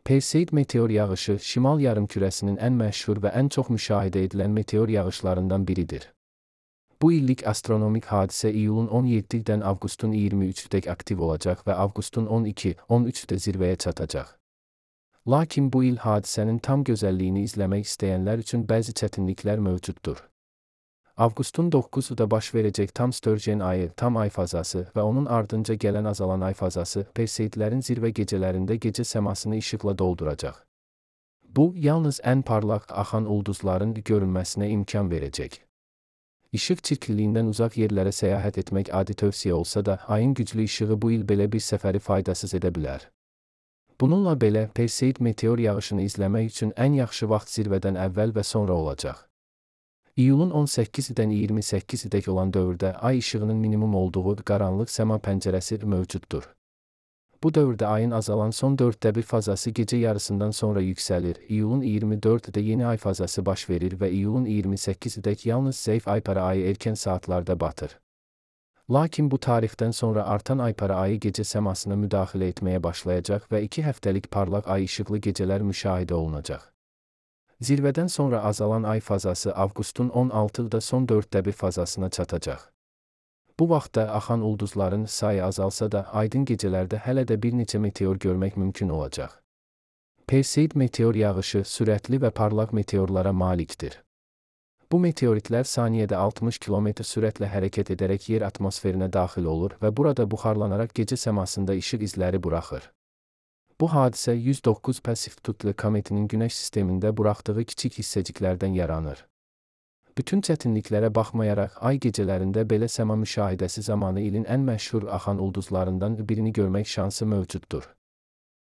Perseid meteor yağışı, şimal yarımkürəsinin ən məşhur və ən çox müşahidə edilən meteor yağışlarından biridir. Bu illik astronomik hadisə iyulun 17-dən avqustun 23-dək aktiv olacaq və avqustun 12-13-də zirvəyə çatacaq. Lakin bu il hadisənin tam gözəlliyini izləmək istəyənlər üçün bəzi çətinliklər mövcuddur. Avqustun 9-da baş verəcək tam Störjen ayı, tam ay fazası və onun ardınca gələn azalan ay fazası Perseidlərin zirvə gecələrində gecə səmasını işıqla dolduracaq. Bu, yalnız ən parlaq axan ulduzların görünməsinə imkan verəcək. İşıq çirkliliyindən uzaq yerlərə səyahət etmək adi tövsiyə olsa da, ayın güclü işığı bu il belə bir səfəri faydasız edə bilər. Bununla belə, Perseid meteor yağışını izləmək üçün ən yaxşı vaxt zirvədən əvvəl və sonra olacaq. İyulun 18-dən 28-dək olan dövrdə ay işığının minimum olduğu qaranlıq səma pəncərəsi mövcuddur. Bu dövrdə ayın azalan son 1/4 fazası gecə yarısından sonra yüksəlir, iyulun 24-də yeni ay fazası baş verir və iyulun 28-dək yalnız zəif aypara ayı erkən saatlarda batır. Lakin bu tarixdən sonra artan aypara ayı gecə səmasına müdaxilə etməyə başlayacaq və 2 həftəlik parlaq ay işıqlı gecələr müşahidə olunacaq. Zirvədən sonra azalan ay fazası avqustun 16-da son 1/4 fazasına çatacaq. Bu vaxtda axan ulduzların sayı azalsa da, aydın gecələrdə hələ də bir neçə meteor görmək mümkün olacaq. Perseid meteor yağışı sürətli və parlaq meteorlara malikdir. Bu meteoritlər saniyədə 60 km sürətlə hərəkət edərək yer atmosferinə daxil olur və burada buxarlanaraq gecə səmasında işıq izləri buraxır. Bu hadisə 109 Perseiftli kometinin Günəş sistemində buraxdığı kiçik hissəciklərdən yaranır. Bütün çətinliklərə baxmayaraq, ay gecələrində belə səma müşahidəsi zamanı ilin ən məşhur axan ulduzlarından birini görmək şansı mövcuddur.